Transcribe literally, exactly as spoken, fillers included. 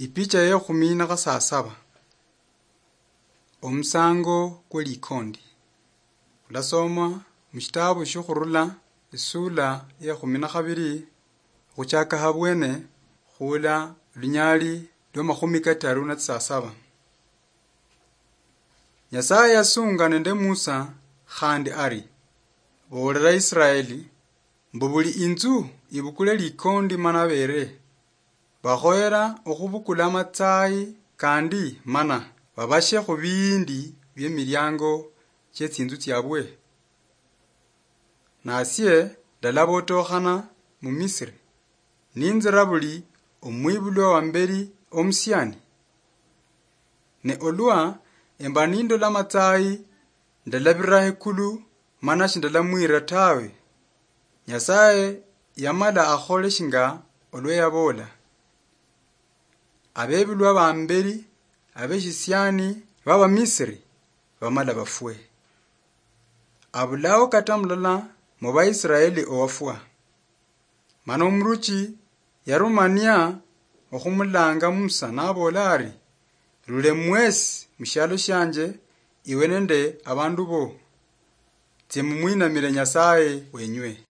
Ipicha ye khumi na khasasaba. Omusango kwe likondi. Khulasoma mushitabu shiokhurula isula ye khumi na khabiri, khuchaka habwene khula lunyali lwa makhumi kataru na tsisasaba. Nyasaye yasunga nende Musa khandi ari, "Boolera Israeli mbu buli inzu ibukule likondi mana beere. Bakhoyera okhubukula amatsayi kandi mana babashe khubiindi biemiliango chietsinzu tsiabwe. Nasie ndalabotokhana mu Misiri, ninzira buli omwibulwa wa mberi omusiani. Ne olwa emba nindola amatsayi, ndalabira ekulu, mana shindalamwira tawe." Nyasaye yamala akhole shinga olwa yaboola. Abebulwa ba mberi abeshisiani baba Misiri bamala bafwe. Abulao kata mulala mu Baisraeli owafwa. Mana omuruchi yarumania okhumulanga Musa, naboola ari, "Rule mwesi mushialo shianje, iwe nende abandu bo. Tsie mumwinamire Nyasaye wenywe."